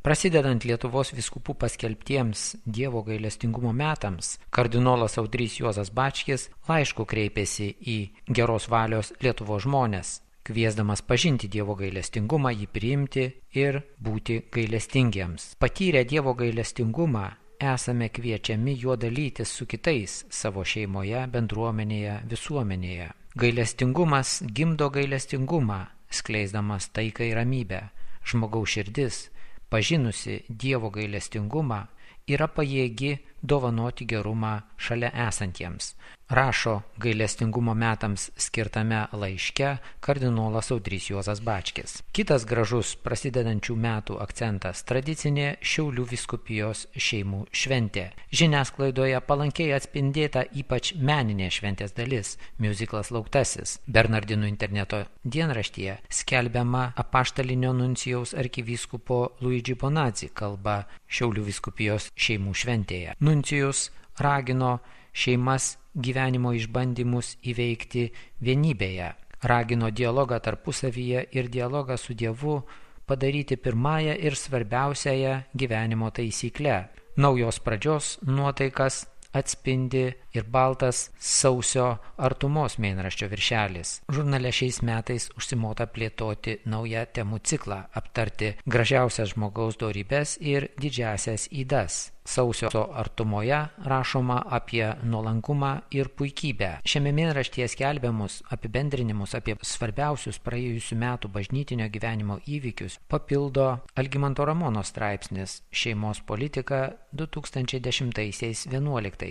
Prasidedant Lietuvos vyskupų paskelbtiems Dievo gailestingumo metams, kardinolas Audrys Juozas Bačkis laišku kreipėsi į geros valios Lietuvos žmones, kviesdamas pažinti Dievo gailestingumą, jį priimti ir būti gailestingiems. Patyrę Dievo gailestingumą, esame kviečiami juo dalytis su kitais savo šeimoje, bendruomenėje, visuomenėje. Gailestingumas gimdo gailestingumą, skleisdamas taiką ir ramybę. Žmogaus širdis, pažinusi Dievo gailestingumą, yra pajėgi dovanoti gerumą šalia esantiems, rašo gailestingumo metams skirtame laiške kardinolas Audrys Juozas Bačkis. Kitas gražus prasidedančių metų akcentas – tradicinė Šiaulių vyskupijos šeimų šventė. Žiniasklaidoje palankiai atspindėta ypač meninė šventės dalis – miuziklas Lauktasis. Bernardinų interneto dienraštyje skelbiama apaštalinio nuncijaus arkivyskupo Luigi Bonazzi kalba Šiaulių vyskupijos šeimų šventėje. Nuncijus ragino šeimas gyvenimo išbandymus įveikti vienybėje, ragino dialogą tarpusavyje ir dialogą su Dievu padaryti pirmąją ir svarbiausiąją gyvenimo taisykle. Naujos pradžios nuotaikas atspindi ir baltas sausio artumos mėnraščio viršelis. Žurnale šiais metais užsimota plėtoti naują temų ciklą, aptarti gražiausias žmogaus dorybes ir didžiasias ydas. Sausio artumoje rašoma apie nuolankumą ir puikybę. Šiame mėnraštyje skelbiamus apibendrinimus apie svarbiausius praėjusių metų bažnytinio gyvenimo įvykius papildo Algimanto Ramono straipsnis Šeimos politika 2010-11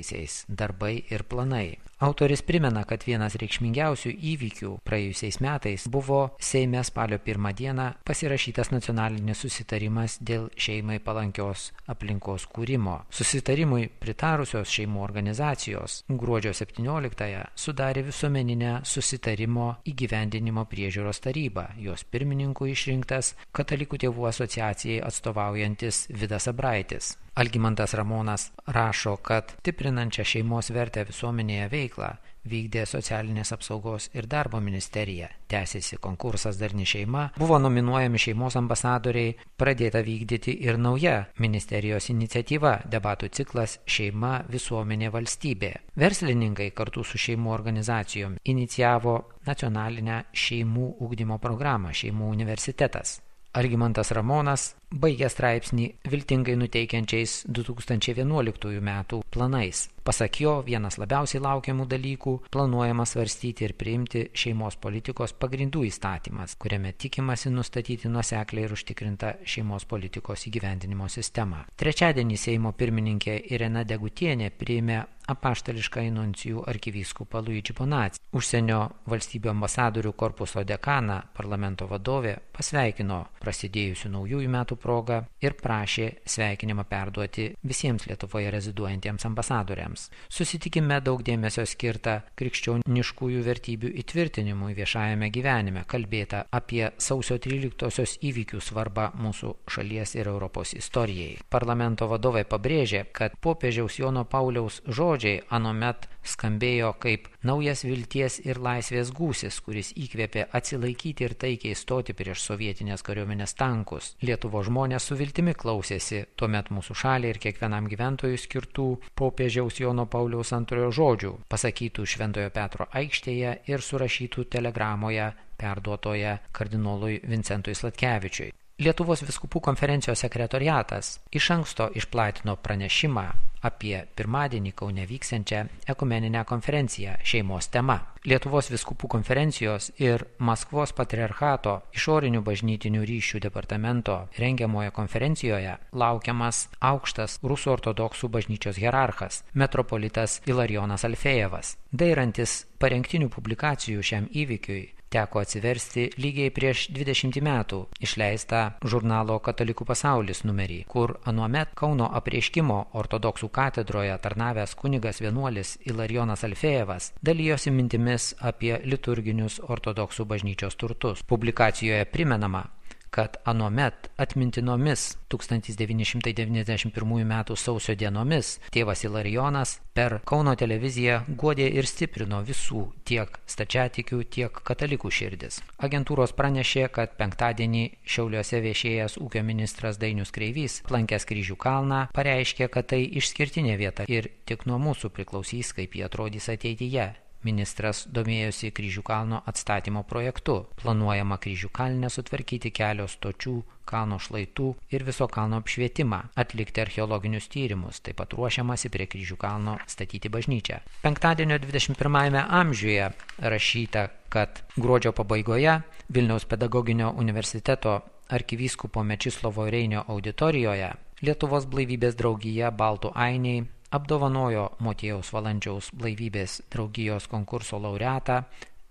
darbai ir planai. Autoris primena, kad vienas reikšmingiausių įvykių praėjusiais metais buvo Seime spalio 1 dieną pasirašytas nacionalinis susitarimas dėl šeimai palankios aplinkos kūrimo. Susitarimui pritarusios šeimų organizacijos gruodžio 17-ąją sudarė visuomeninę susitarimo įgyvendinimo priežiūros tarybą. Jos pirmininku išrinktas Katalikų tėvų asociacijai atstovaujantis Vidas Abraitis. Algimantas Ramonas rašo, kad stiprinančią šeimos vertę visuomenėje veiklą vykdė Socialinės apsaugos ir darbo ministerija. Tęsėsi konkursas Darni šeima, buvo nominuojami šeimos ambasadoriai, pradėta vykdyti ir nauja ministerijos iniciatyva – debatų ciklas Šeima, visuomenė, valstybė. Verslininkai kartu su šeimų organizacijom inicijavo nacionalinę šeimų ugdymo programą Šeimų universitetas. Algimantas Ramonas baigė straipsnį viltingai nuteikiančiais 2011 metų planais. Pasak jo, vienas labiausiai laukiamų dalykų planuojama svarstyti ir priimti šeimos politikos pagrindų įstatymas, kuriame tikimasi nustatyti nuosekliai ir užtikrintą šeimos politikos įgyvendinimo sistemą. Trečiadienį Seimo pirmininkė Irena Degutienė priėmė apaštališką nuncijų arkivyskupą Luigi Bonazzi. Užsienio valstybių ambasadorių korpuso dekaną parlamento vadovė pasveikino prasidėjusių naujųjų metų progą ir prašė sveikinimą perduoti visiems Lietuvoje reziduojantiems ambasadoriams. Susitikime daug dėmesio skirta krikščioniškųjų vertybių įtvirtinimui viešajame gyvenime, kalbėta apie sausio 13-osios įvykių svarbą mūsų šalies ir Europos istorijai. Parlamento vadovai pabrėžė, kad popiežiaus Jono Pauliaus žodžiai anuomet skambėjo kaip naujas vilties ir laisvės gūsis, kuris įkvėpė atsilaikyti ir taikiai stoti prieš sovietinės kariuomenės tankus. Lietuvos žmonės su viltimi klausėsi tuomet mūsų šaliai ir kiekvienam gyventojui skirtų popiežiaus Jono Pauliaus antrojo žodžių, pasakytų Šventojo Petro aikštėje ir surašytų telegramoje perduotoje kardinolui Vincentui Sladkevičiui. Lietuvos vyskupų konferencijos sekretoriatas iš anksto išplatino pranešimą apie pirmadienį Kaune vyksiančią ekumeninę konferenciją šeimos tema. Lietuvos vyskupų konferencijos ir Maskvos patriarchato išorinių bažnytinių ryšių departamento rengiamoje konferencijoje laukiamas aukštas rusų ortodoksų bažnyčios hierarchas, metropolitas Ilarijonas Alfejevas. Dairantis parengtinių publikacijų šiam įvykiui, teko atsiversti lygiai prieš 20 metų išleistą žurnalo Katalikų pasaulis numerį, kur anuomet Kauno apreiškimo ortodoksų katedroje tarnavęs kunigas vienuolis Ilarijonas Alfejevas dalijosi mintimis apie liturginius ortodoksų bažnyčios turtus. Publikacijoje primenama, kad anuomet atmintinomis 1991 m. sausio dienomis tėvas Ilarijonas per Kauno televiziją guodė ir stiprino visų tiek stačiatikių, tiek katalikų širdis. Agentūros pranešė, kad penktadienį Šiauliuose viešėjęs ūkio ministras Dainius Kreivys, aplankęs Kryžių kalną, pareiškė, kad tai išskirtinė vieta ir tik nuo mūsų priklausys, kaip jie atrodys ateityje. Ministras domėjosi Kryžių kalno atstatymo projektu. Planuojama Kryžių kalne sutvarkyti kelio stočių, kalno šlaitų ir viso kalno apšvietimą, atlikti archeologinius tyrimus, taip pat ruošiamasi prie Kryžių kalno statyti bažnyčią. Penktadienio 21 amžiuje rašyta, kad gruodžio pabaigoje Vilniaus pedagoginio universiteto arkivyskupo Mečislovo Reinio auditorijoje Lietuvos blaivybės draugija Baltų ainiai apdovanojo Motiejaus Valančiaus blaivybės draugijos konkurso laureatą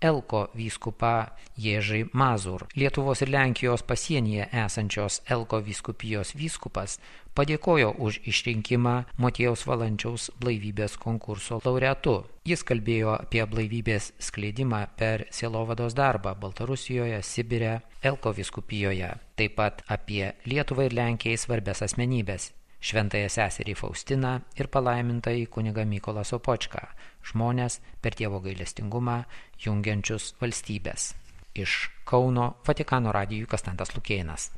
Elko vyskupą Ježį Mazur. Lietuvos ir Lenkijos pasienyje esančios Elko vyskupijos vyskupas padėkojo už išrinkimą Motiejaus Valančiaus blaivybės konkurso laureatu. Jis kalbėjo apie blaivybės skleidimą per sielovados darbą Baltarusijoje, Sibire, Elko vyskupijoje, taip pat apie Lietuvai ir Lenkijai svarbias asmenybės. Šventąją seserį Faustiną ir palaimintąjį kunigą Mykolą Sopočką, žmonės per Dievo gailestingumą jungiančius valstybės. Iš Kauno Vatikano radijui Konstantas Lukėnas.